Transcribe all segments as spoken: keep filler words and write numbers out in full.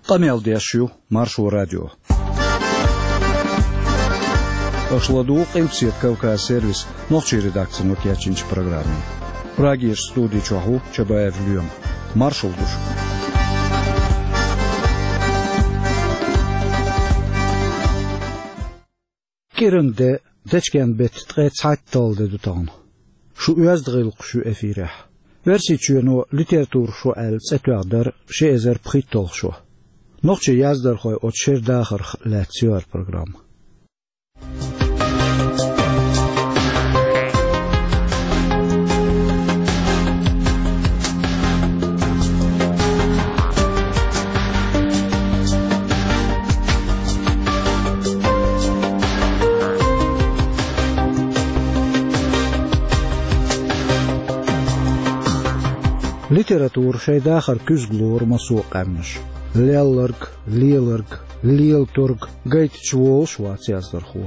Къамел деш ю Маршо радио. Аша ладугӀу Къилбаседа Кавказ сервисан нохчийн редакцино кечйинчу программе. Прагерчу студи чохь ву Чабаев Лоьма. Маршалла ду шуьга. КӀиранан де, дечкен-беттан ткъе цхьайтталгӀа де ду тахана. Шун оьзда гӀиллакхаш ю эфирехь. Оьрсийчоьно литературан шо аьлла цӀе тоьхна дара ши эзар пхийтталгӀа шо. Нохчийн яздархойн оцу шеран дахарх лаьцна ю хӀара программа. Литература шайн дахар куьзга лору массо а къаьмнаша. Лелларг, леларг, лелторг гайтича волуш вац яздархо.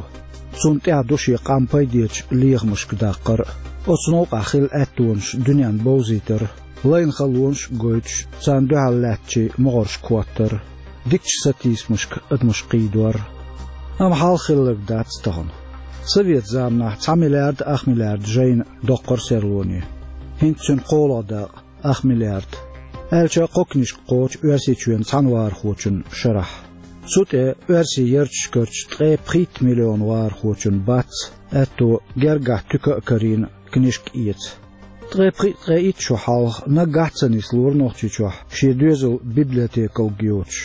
Цунна тӀехь ду шен къам пайдечу лехамашка даккхар а, оцу новкъахь хилла аьттонаш дуьненна бовзийтар а, лайна халонаш а гойтуш, царна дуьхьал лаьттачийн могӀаршка хӀоттар а, дикачу сатийсамашка адамаш кхийдор а. Амма хьалха хилларг дац тахана. Совет заманахь цхьа миллиард ах миллиард жайна доккхура серлоне. ХӀинца цуьнан кхоалгӀа дакъа ах миллиард. Аьлча а кхо книжка кхочу Оьрсийчоьнан цхьана вахархочун шарахь. Цу тӀе оьрсийн ярташкарчу ткъе пхийтта миллион вахархочун бац аьтто гергахь туька а карийна книжка эца. Ткъе пхиъ-ткъе итт шо хьалха наггахь а ца нислора Нохчийчохь шен доьзал библиотекалг йоцуш.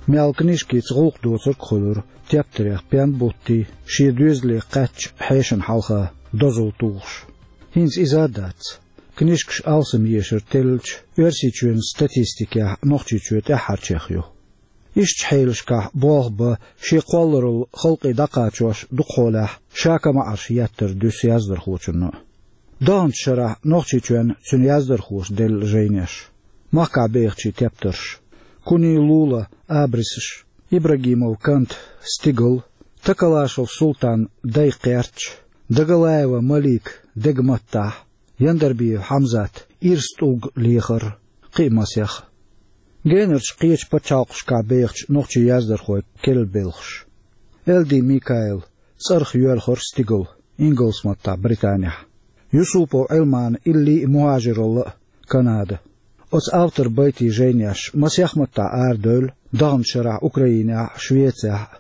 Мел книжкица гӀуллакх доцург а хуьлура, тептарех пен буттий, шен доьзале кхаьчча хьешана хьалха дозалла тухуш. ХӀинца иза а дац. Книжкаш алсам ешар теллича, Оьрсийчоьнан статистикехь Нохчийчоь тӀаьххьарчех ю. Ишттачу хьелашкахь болх бан шен кхолларалла халкъе дӀакхачош дукхахьолехь ша-ка маӀарш еттар дуьсу яздархочунна а. Даханчу шарахь Нохчийчоьнна цуьнан яздархоша делла жайнеш, махкахь бехачийн тептарш: Куний Лула «Абрисаш», Ибрагимов Кант «Стигал», Такалашев Султан «Дай кхерч», Дагалаева Малик «Дега маттахь», Яндарбиев Хьамзат «Ирс тӀулг лехар», кхин а масех. Генарчу кхечу пачхьалкхашкахь бехачу нохчийн яздархойн керла белхаш. Элди Микаил «ЦӀарах йоьлхура стигал», ингалс маттахь, Британехь. Юсупов Ӏилман «Илли а мухӀажиралла а», Канада. Оцу авторан байтийн жайнеш масех маттахь арадевлла даханчу шарахь Украинехь а, Швецехь а.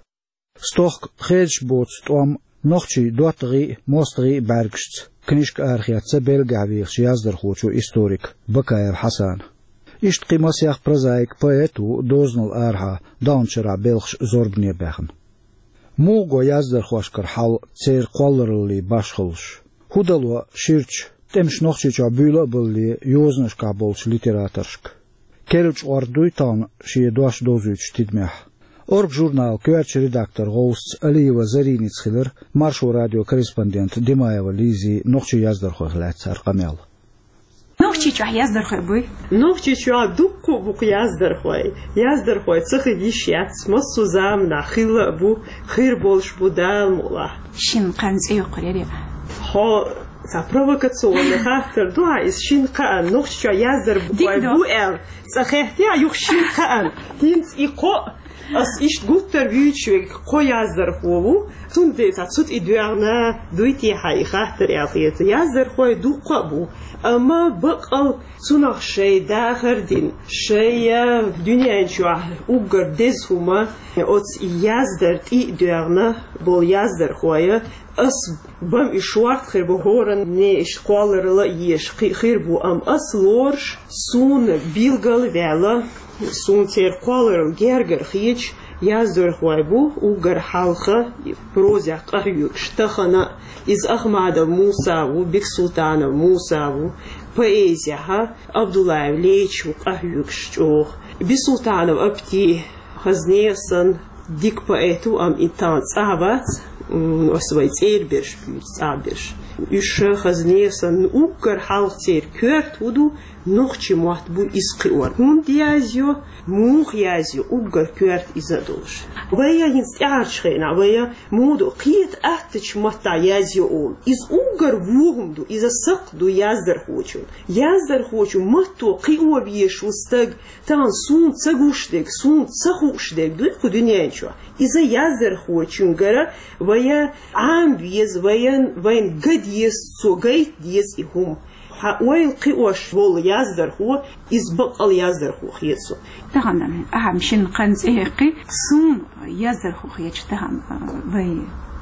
Стохка «Хедаш боцу тӀом», «Нохчийн доттагӀий а, мостагӀий а бӀаьргашца» книжка арахецна Бельгехь вехачу яздархочо, историка Бакаев Хьасана. Иштта кхин масех прозаик, поэт ву дозанал арахьа даханчу шарахь белхаш зорбане баьхна. Муха го яздархошкара хьал церан кхоллараллин башхаллаш? ХӀун дало ширачу, тӀемаш Нохчийчохь буьйла а балале йозанашкахь болчу литераторшка? Керла чкъор дуй тахана шен дош довзуьйтучу тидамехь? «Орга» журналан коьртачу редакторан гӀовсаца Алиева Зариница хилира Маршо радион корреспондент Димаева Лизин нохчийн яздархойх лаьцна хӀара къамел. Нохчийчохь яздархой буй? Нохчийчохь дуккха а бу-кх яздархой. Яздархой ца хила йиш яц, массо а заманахь хилла а бу, хир болуш бу Дала мукъалахь. Шина кхаьнна цӀе йоккхур яра? Хьо цхьа провокационный хаттар ду хьан иза, шина кхаьнна Нохчийчохь яздархой бу аьлла цӀе хеттехь, юха шина кхаьнна. ХӀинца и кхо, ас иштта гуттар а вуьйцуш верг кхо яздархо ву. Цундела цхьа цу тӀе доьгӀна дуй те хьан и хаттар аьлла хета. Яздархой дуккха а бу, амма баккъал цунах шайн дахар а дина, шайн дуьнен чохь уггар деза хӀума оцу яздаран тӀе а доьгӀна болу яздархой. Ас бан и шорта хир бу, хӀоранна иштта кхолларалла а еш кхин а хир бу, амма ас лоруш, суна билгал а ваьлла, суна церан кхолларалла гергара хеташ яздархой бу уггар хьалха прозех къахьоьгуш, тахана а. Иза Ахмадов Муса ву, Бексултанов Муса ву, поэзехь Абдуллаев Леча ву къахьоьгуш чӀогӀа. Бисултанов Апти хазне а санна дика поэт ву, амма и тахана цӀахь вац, м, ас вайн цӀера берш буьйцу, цӀахь берш. Уж хазне санна уггар хьалха церан коьрта хӀун ду, нохчийн мотт буй иза кхиор. ХӀунда язйо, муха язйо, уггар коьрта иза а долуш. Вай хӀинца тӀаьхьарчу хенахь, вай муха ду, кхета аттачу маттахь язйо олу. Иза уггар вон хӀума ду, иза сакхт ду яздархочун. Яздархочун матто кхио везаш ву стаг, тахана суна ца гуш дерг, суна ца хууш дерг дуй кху дуьнен чохь. Иза яздархочуьнгара вай Ӏама веза, вайн, вайна ган деза, цо гайта деза и хӀума. Хьан ойла кхиош волу яздархо, иза баккъал яздархо хета суна. Тахана ахьа шина кхин цӀе хьекхи, суна яздархо хеташ тахана вай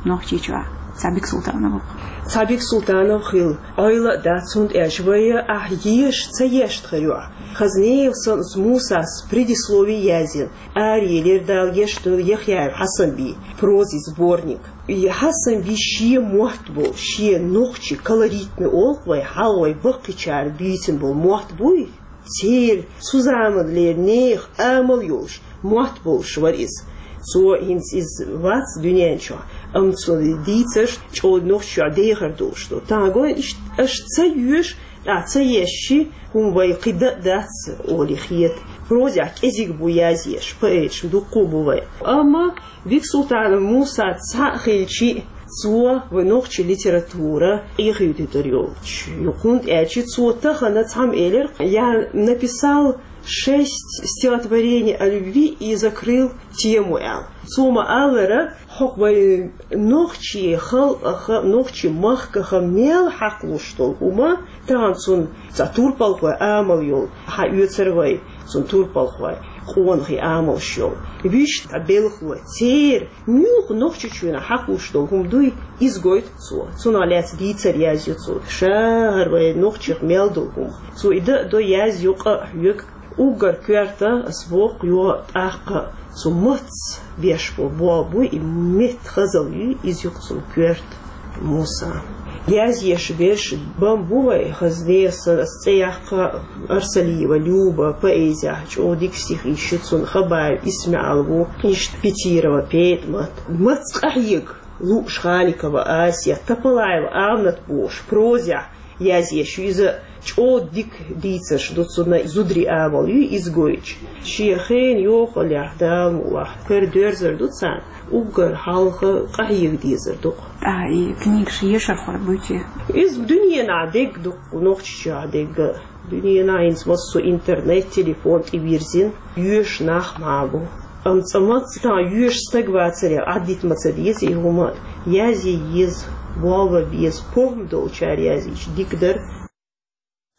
Нохчийчохь Цхьабик Султанов ву-кх. Цхьабик Султанов хила ойла а дац, цунна тӀаьхьа вай ахьа еша ца ешта хир ю ахь. Хазнеев санна Мусас предислови язйина, араелира Дала гечдойла Яхъяев Хьасанбий, прозин сборник. И Хьасанбий шен мотт болу, шен нохчийн колоритный олу вай, хьалха вай баккхийчара дийцина болу мотт буй, церан цу заманлера нехан амал йолуш, мотт болуш вара иза. Цо хӀинца иза вац дуьнен чохь, амма цо дийцарш чӀогӀа нохчийн дехар долуш ду. Тахана гой иштта аша ца йоьшу, тӀаккха ца ешши, хӀума вай кхин дан а дац олий хета. Прозехь кӀезиг бу язъеш, поэташ дуккха а бу вай. Амма Бексултанов Муса цхьаъ хилчи, цо вай нохчийн литература къехьуьйтуьйтур йолчу. ХӀунда аьлча цо тахана цхьамма элира: «Я написал шесть стихотворений о любви и закрыл тему», — аьлла. Цо ма-аллара, хӀокху вай нохчийн халкъах, нохчийн махках мел хьакхалуш долу хӀума, тахана цунна цхьа турпалхой амал йолу хьаоьцура вай, цунна турпалхой, къонахий амалш йолу. Вуьшта белхалой, церан муьлхха Нохчийчоьнах хьакхалуш долу хӀума дуй, иза гойту цо. Цунах лаьцна дийцар язйо цо. Ша хӀара вай нохчех мел долу хӀума. Цо и дан а до, язйо, къа а хьоьгу. Уггар коьрта, ас боху, йо, тӀаккха цу маттаца беш бо-, болу буй, и меттан хазалла юй, иза ю-кх цунна коьрта, Мусан. Язъеш берш бан бу вай, хазне сан ас цӀе яккха: Арсалиева Люба, поэзехь чӀогӀа дика стихи йиш ю цунна, Хабаев ИсмаӀал ву, иштта Петирова ПетӀамат. Маттаца къахьега: Лууш Халикова Асия, Топалаева Аминат бохуш, прозехь язъеш ю иза, чӀогӀа дика дийцарш ду цунна, зударийн амал юй иза гойтуш. Шен хенан йохаллехь, Дала мукъ лахь, кара доьрзур ду царна, уггар хьалха къахьега дезар ду-кх. ТӀаккха и книгаш ешархой буй те? Иза дуьненахь дерг ду-кх, Нохчийчохь дерг а. Дуьненахь хӀинца массо интернет, телефон тӀе вирзина, йоьшу нах мах бу. Амма цкъа мацца тахана йоьшу стаг вацаре, Ӏаддита ма ца деза и хӀума, язъе еза, болх бан беза, похӀма долчара язйича дика дара.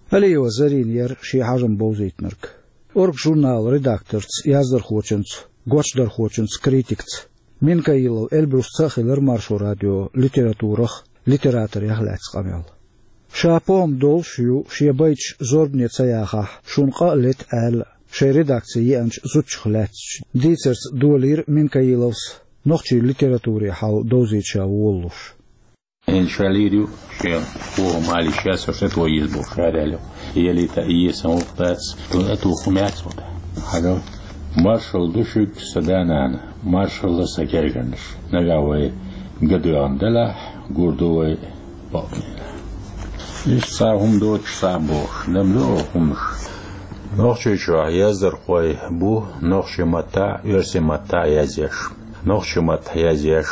Алиева Зарина яра шен хьажам бовзийтинарг. «Орга» журналан редакторца, яздархочунца, гочдархочунца, критикца. Минкаилов Эльбрусца а хилира Маршо радион литературах, литераторех лаьцна къамел. Ша похӀма долуш ю, шен байташ зорбане ца яхахь, шуна къа а лета аьлла, шайн редакце еанчу зудчух лаьцначу дийцарца долийра Минкаиловс нохчийн литературин хьал довзийта ша волалуш. ХӀинца ша лийр ю, шен похӀма ала йиш яц, со шатво еза бохуш, ша аьлла. Ялийта а еза сан гӀуллакх дац, дуна а туху хӀума яц вата. Хьажал. Маршалла ду шуьга, сан да-нана, маршалла, сан гергарнаш. Нагахь вай ган доьгӀна делахь, гур ду вай бакъонаш. Иштта цхьа хӀума доцуш цхьаъ бохуш, наб ду оха хӀуманаш. Нохчийчохь яздархой бу нохчийн маттахь а, оьрсийн маттахь а язъеш. Нохчийн маттахь язъеш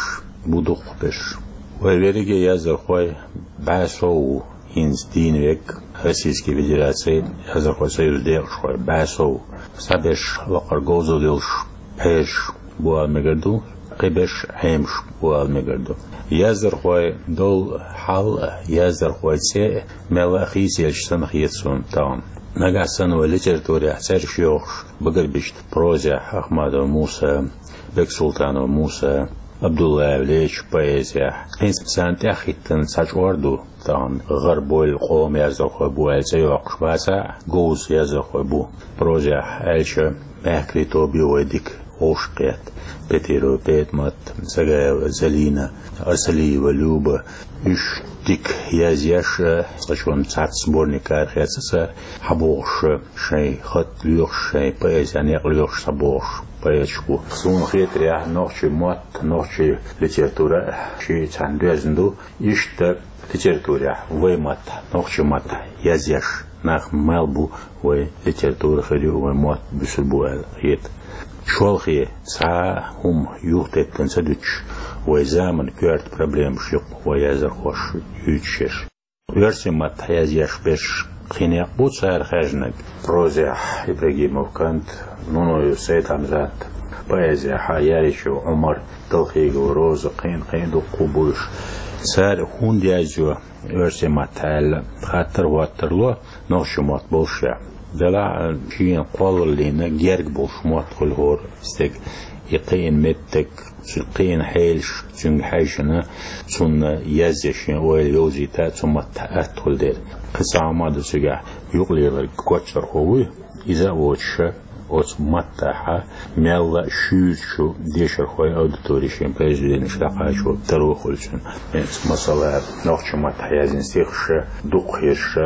бу дукхахберш. Вай верриге яздархой бӀе сов ву, хӀинца дийна верг Российски Федерацин яздархойн союзан декъашхой бӀе сов ву. Цхьаберш лакхара говзалла йолуш, пхьераш бу ала мегар ду, кхиберш Ӏемаш бу ала мегар ду. Яздархойн долу хьал а, яздархойн цӀе а мелла а хийцаелча санна хета суна тахана. Нагахь санна вай литературехь цӀераш йохуш багарбича, прозехь Ахмадов Муса, Бексултанов Муса, Абдуллаев Леча, поэзехь, хӀинца царна тӀаьхьахӀиттина цхьа чкъор ду тахана, гӀарабойла къоман яздархой бу аьлла цӀе йоккхуш бацахь а, говза яздархой бу. Прозехь аьлча, мехкарий тоба ю вай дика. Ошкъет, Петирова ПетӀмат, Цагаева Залина, Асалиева Люба, уьш дика язъеш, цхьа шоана цхьацца сборник арахецна цара, хьабогӀуш, шайн хатӀ лоьхуш, шайн поэзен некъ лоьхуш схьабогӀуш поэташ бу. Суна хетарехь, нохчийн мотт, нохчийн литература шиъ цхьана доьзна ду. Иштта литературехь вай маттахь, нохчийн маттахь язъеш нах мел бу, вай литература хир ю, вай мотт буьсур бу аьлла хета. Шолхе, цхьа хӀума юхатеттина ца дуьтуш, вай заманан коьрта проблемаш ю-кх вай яздархоша юьйцуш ерш. Оьрсийн маттахь язъеш берш кхин некъ бу цара хаьржинарг. Прозехь Ибрагимов Кант, Нунаев Сайд-Хьамзат, поэзехь Яричева Ӏумар, Далхигова Роза, кхин-кхин дуккха а бу уьш. Цара хӀунда язйо оьрсийн маттахь аьлла, хаттар хӀоттар ло, нохчийн мотт боллушехь. Делахь а шена кхоллаллина герга болуш мотт хуьлу хӀора стеган. И кхиъна меттиг, цуьнан кхиъна хьелаш, цуьнга хьаьжжина, цунна язъян шен ойла йовзийта, цу маттахь атта хуьлу дела. Кхин цхьа хӀума ду цигахь, юкъалеларг коччархо вуй, иза а воцуш, оцу маттахь мелла а шуьйрачу дешархойн аудитори шен произведенеш дӀакхачо таро хуьлу цуьнан. Масала, нохчийн маттахь язйина стихаш дукха хирш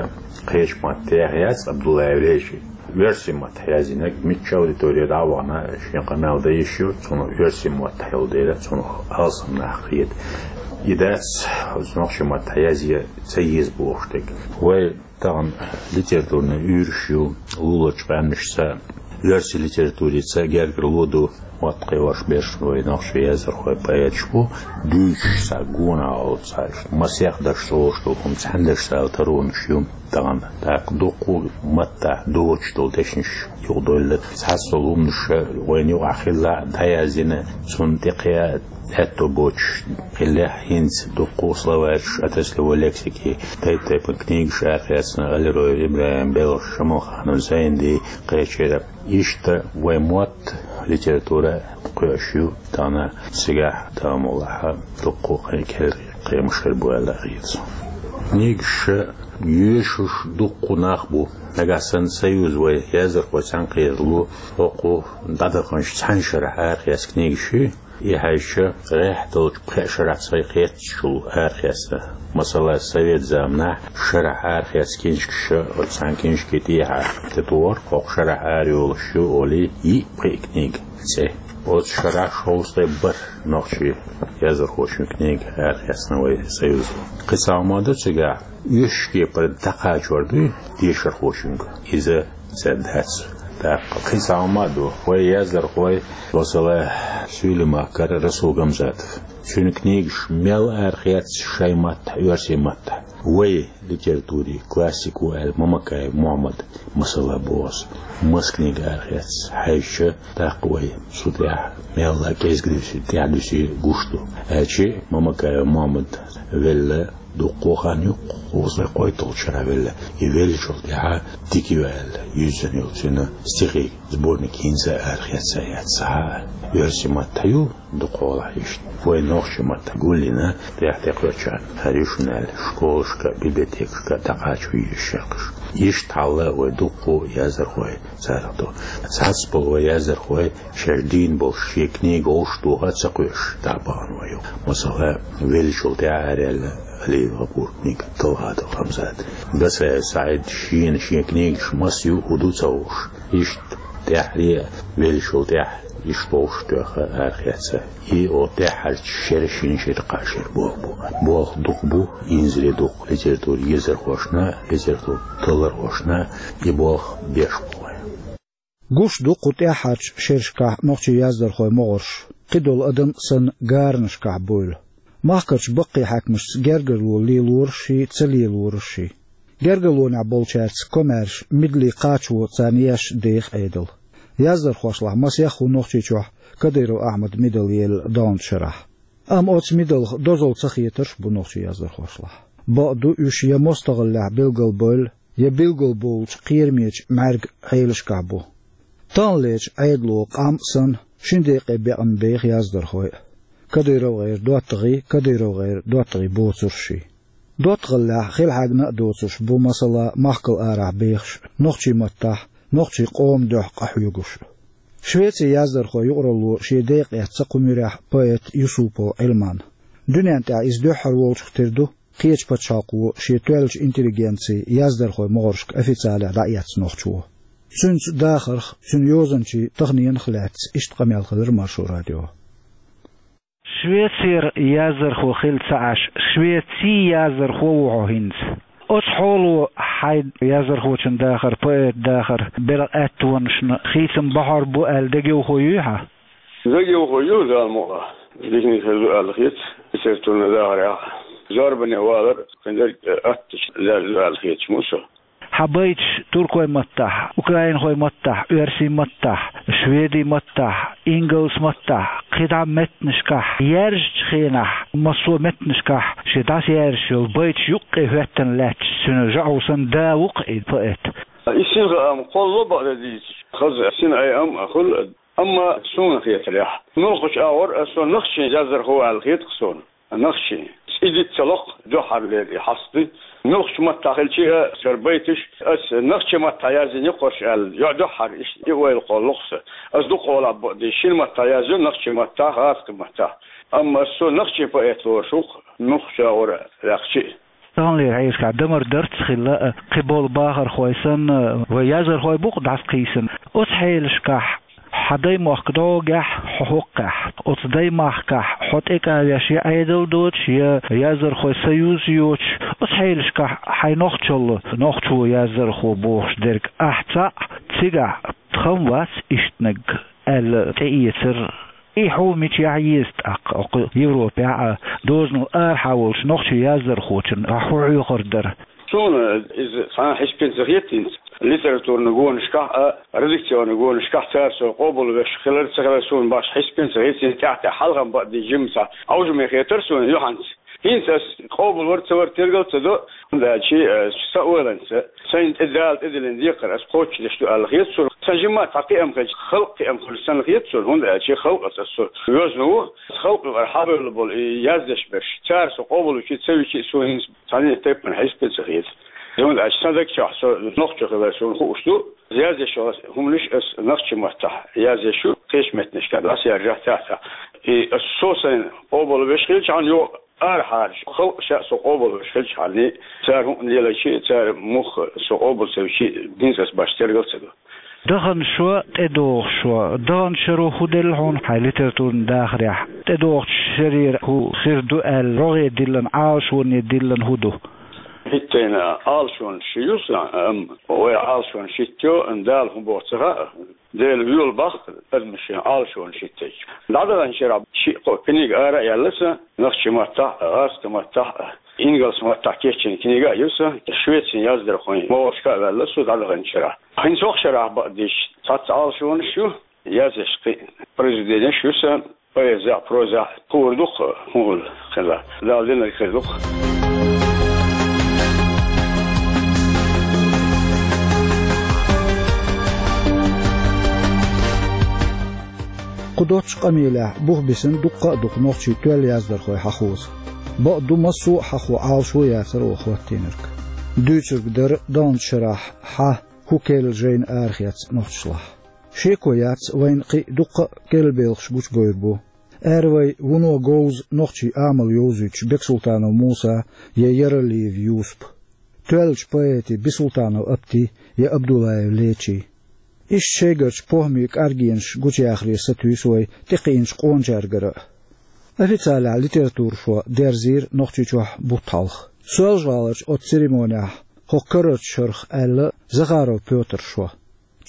кхечу маттахь яц, Абдуллаев Леший. Оьрсийн маттахь язйинарг муьлххачу аудитори дӀа а вахана, шен къамел дан йиш ю, цунах оьрсийн маттахь йолу дела, цунах алсам нах хета. И дац, оцу нохчийн маттахь язъян ца еза бохуш дерг. Вай тахана литературни уьйраш ю, луларчу къаьмнашца, оьрсийн литературица гергарло ду, мотт кхиош берш вай нохчийн яздархой, поэташ бу, дуьйцуш цхьа гонах олу цхьа, масех дашца олуш долу хӀума цхьаьна дашца аьлла таронаш ю тахана. ТӀаккха дуккха а маттахь доцуш долу дешнаш юкъадоьлла. Цхьацца долу хӀуманаш вайна юкъахь хилла а дӀаяздина, цунна тӀекхаьа аьтто боцуш хиллехь, хӀинца дуккха а словарьш, отраслевой лексики, тайп-тайпана книгаш арахецна, Алироев ИбрахӀим, Белхаш Шамалханов Зайнди кхечира. Иштта вай мотт, литература кхоьуш ю тахана, цигахь, Дала мукъ лахь, дуккха а кхин керлачу кхиамаш хир бу аьлла хета суна. Книгаш йоьшуш дуккха а нах бу. Нагахь санна союз вай яздархой цхьаьна кхералу, хӀокху дӀадаханчу цхьана шарахь арахецна книгаш ю, и хьаьжча, гӀеххьа долчу пхеа шарахь цхьа кхеттачул арахецна. Масала, совет заманахь шарахь арахецна книжкаш, оцу цхьана книжки тӀехьа тӀетухура, хӀокху шарахь арайолуш ю олий, йиъ-пхиъ книга цӀе. Оцу шарахь шовзткъе бархӀ нохчийн яздархочун книга арахецна вай союзо. Кхин цхьа хӀума ду цигахь, оьшшучу кепара дӀакхачор дуй дешархочуьнга, иза цӀена дац. ТӀаккха кхин цхьа хӀума а ду, вай яздархой, масала, Суьйлийн махкара Расул Гамзатов. Цуьнан книгаш мел арахецна шайн маттахь, оьрсийн маттахь. Вай литературин классик ву аьлла Мамакаев Мохьмад, масала, боху ас. Маса книга арахецна хьаьжча, тӀаккха вай цу тӀехь мелла а кӀезиг дуьсий, тӀаьхьа дуьсий гуш ду. Аьлча Мамакаев Мохьмад велла дуккха а хан ю, кхузткъе кхойтталгӀачу шарахь велла. И веллачул тӀаьхьа дика ю аьлла, юьззина йолу цуьнан стихийн сборник хӀинца а арахецна яц схьа а. Оьрсийн маттахь ю дукхахьолахь иштта. Вай нохчийн маттахь гулйина, тӀехь тӀекхоьчарна хир ю шуна аьлла, школашка, библиотекашка дӀакхачо йиш яц уьш. Иштта хьал вай дуккха а яздархой царах ду. Цхьацца болу вай яздархой шаьш дийна болуш шен книга вовшахтоха а ца кхоьруш дӀа а бахана вай ю. Масала, веллачул тӀаьхьа араяьлла Алиев ГӀапуран книга «Талхадал Хамзат». Гасаев СаӀид шена шен книгаш маса ю, хӀун ду ца хууш. Иштта тӀаьххьара а веллачул тӀаьхьа иштта вовшахтоьхна арахецна. И оцу тӀаьххьарчу шеран шина шира кхаа шера болх бу. Болх дукха бу, инзаре дукха литературан езархошна, литературан таллархошна и болх беш бу вай. Гуш ду кху тӀаьххьарчу шерашкахь нохчийн яздархойн могӀарш, кхидолу адам санна, гаранашкахь буйла. Махкарчу баккхий хьаькамашца гергарло лелорашший, ца лелорашший. Гергарлонехь болчаьрца комаьрша, мидале кхачо царна еш деха Ӏедал. Яздархошлахь масех а ву Нохчийчохь Кадыров Ахьмадан мидал елла долчу шарахь. Амма оцу мидалх дозалла ца хетарш а бу нохчийн яздархошлахь. Бакъду, уьш я мостагӀаллехь билгалбевлла, я билгалбовлучу кхерамечу мӀаьрг Ӏелашкахь бу. Таханлерчу Ӏедало къам а санна, шина декъе бекъна беха яздархой а. КадыровгӀеран доттагӀий, КадыровгӀеран доттагӀий боцуршший. ДоттагӀаллехь хила хьаьгна а доцурш бу, масала, махкал арахь бехаш, нохчийн маттахь, нохчийн къоман дуьхьа къахьоьгуш. Швецин яздархойн юкъаралло шен декъе эцна кху муьрехь поэт Юсупов Ӏилман. Дуьнен тӀехь иза дуьххьара волчух тера ду, кхечу пачхьалкхо шен тоьллачу интеллигенцин яздархойн могӀаршка официалехь дӀаэцна нохчо. Цуьнца дахарх, цуьнан йозанчийн таханенах лаьцна иштта къамел хилира Маршо радион. Швецера яздархо хилла ца Ӏаш, Швецин яздархо ву хьо хӀинца. Оцу хьоло хьайн яздархочун дахар, поэтан дахар белхан аьттонашна хийцам бахьар бу аьлла дегайовхо юй хьан? Дегайовхо ю, Дала мукъалахь. Диканиг хир ду аьлла хета, литературни дахарехь. Зорбане валар кхин дерг аттачу лаьрра ду аьлла хеташ ма ю со. Хьан байташ туркойн маттахь, украинхойн маттахь, оьрсийн маттахь, шведийн маттахь, ингалс маттахь, кхидӀа меттанашкахь яьржачу хенахь, массо а меттанашкахь шен дӀасаяьржаш йолу байташ юккъе хӀоьттина лаьтташ, цуьнан жаӀу санна да ву-кх и поэт. И синхаам кхоллало бакъдерг дийцича, хаза синайн ам а хуьлу, амма суна хетарехь, муьлххачу агӀор аса со нохчийн яздархо аьлла хета-кх суна. Нохчийн. И диц ца ло-кх, дуьххьарлера и хьаста. Муьлххачу маттахь хилча а, аса хӀара байташ, аса нохчийн маттахь яздина ю-кх хӀорш аьлла, йо-, дуьххьара иштта и ойла кхоллало-кх сан. Аса дукха хьолахь бакъдерг шина маттахь язйо, нохчийн маттахь, гӀазкхийн маттахь. Амма аса со нохчийн поэт лоруш ву-кх, муьлххачу агӀор ваьккхича а. Таханлера хьешашкахь дамар дарц хилла, кхиболу бахархой санна, вай яздархой бу-кх дӀасакхийсина. Оцу хьелашкахь хьан даймохк дӀогахь, хьо хӀокхехь, оцу даймахкахь хьо тӀекӀа веш я Ӏедал доцуш, я яздархойн союз йоцуш, оцу хьелашкахь хьайн нохчалла нохчо яздархо бохуш дерг ахь цхьаъ, цигахь тхан вац ишттаниг аьлла тӀеэцар. И хьо мичахь еза тӀаккха, окху Европехь а, дозанал арахьа волчу нохчийн яздархочун ахь хӀун хьоьхур дара? Суна иза цхьа а хьиспина ца хета хӀинца. Литературни гонашкахь а, редакционни гонашкахь цара со къобалвеш хилар ца хилар суна башха хьиспина ца хета, хӀинца тӀаьхьа-тӀаьхьа хьалха бакъдерг жимма цхьа Ӏовжаме хетара суна юьхьанца. ХӀинца ас къобалвар ца вар тергал ца до, хӀунда аьлча, э, сан ойланца, сайна тӀе Дала тӀедиллина декхар ас кхочушдеш ду аьлла хета суна. Сан жимма цхьа кхиам хилча, халкъан кхиам хуьлу санна хета суна, хӀунда аьлча халкъаца ас со везна ву, халкъан юкъара хьабевлла болу и яздеш берш. Цара со къобалвича а, ца вича а, суна хӀинца цхьана а тайпана хьиспина ца хета. ХӀунда аьлча сан даг чохь со нохчо хилар суна хууш ду, язъеш йолу хӀуманаш ас нохчийн маттахь язъеш ю, кхечу меттанашкахь дӀасаяржахь цхьаьна. И ас со сайна къобалвеш хилчахьана, йо, арахьара халкъ ша со къобалвеш хилчахьана, цара хӀуъа лелайча а, цара муха со къобал ца вича а, хӀинца ас башха тергал ца до. Даханчу шо, тӀедогӀучу шо. Даханчу шаро хӀун делла хьуна хьайн литературни дахарехь? ТӀедогӀучу шарера хӀун хир ду аьлла, рогӀе диллина, Ӏалашоне диллина хӀун ду? ХӀиттийна Ӏалашонаш ю сан, амма вай Ӏалашонаш хӀиттайо, Дала хӀун боху ца хаьа. Дела воьлу боху адамаша Ӏалашонаш хӀиттича. ДӀадаханчу шарахь шиъ-кхо книга ара а яьлла сан, нохчийн маттахь а, гӀазкхийн маттахь а, ингалс маттахь кечйина книга а ю сан, Швецин яздархойн могӀаршка а ваьлла со дӀадаханчу шарахь. ХӀинца хӀокху шарахь бакъдерг цхьацца Ӏалашонаш ю, язъеш кхин произведенеш ю сан, поэзехь, прозехь, хуур ду-кх хӀун хуьлу хилла. Дала динарг хир ду-кх. Кху доцчу къамелехь бух бисина дуккха а ду-кх нохчийн тоьлла яздархой хьахоза. Бакъ ду, массо а хьахо Ӏалашо яцара оха хӀоттийнарг. Дуьйцург дара даханчу шарахь хьан, хӀун керла жайна арахецна нохчашлахь. Шеко яц, вайна кхин а дуккха а керла белхаш гучуговр бу. Ара вай вуно говза нохчийн амал йовзуьйтуш Бексултанов Муса я Яралиев Юсуп. Тоьллачу поэтийн Бисултанов Апти я Абдуллаев Лечи. Иштта шайгарчу похӀмийн кӀаргенаш гучуяхаре сатуьйсу вай тӀекхиъначу къоначаьргара а. Официалехь литературан шо дерзийра Нохчийчохь бутт хьалха. Соьлжа-ГӀаларчу оцу церемонехь хӀокху карарчу шарах аьлла Захаров Пётра шо.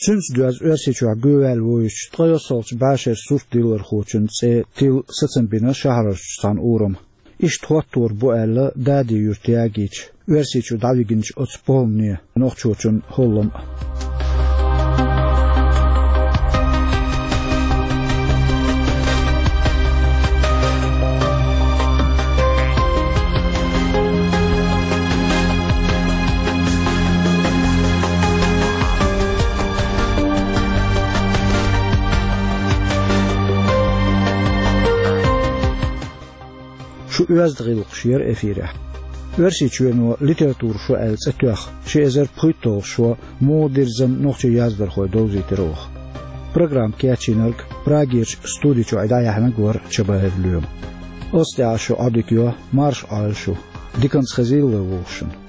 Цуьнца доьзна Оьрсийчохь гӀоьваьлла вуьйцучу ткъайоьсналгӀачу бӀешерачу суртдиллархочун цӀе тилла сацам бина шахьарарчу цхьана урама. Иштта хӀоттор бу аьлла Дади-Юьрта ягийча, Оьрсийчу дӀавигинчу оцу похӀмане нохчочун хӀоллам а. Шу оьзда гӀиллакхаш яра эфирехь. Оьрсийчоьно литературан шо аьлла цӀе тоьхна, ши эзар пхийтталгӀа шо муха дирзина нохчийн яздархой довзийтира оха. Программа кечйинарг Прагерчу студи чу дӀаяьхьнарг вара Чабаев Лоьма. Оцу тӀехь шу Ӏодика йо, марша Ӏойла шу. Диканца хезийла вай вовшашна.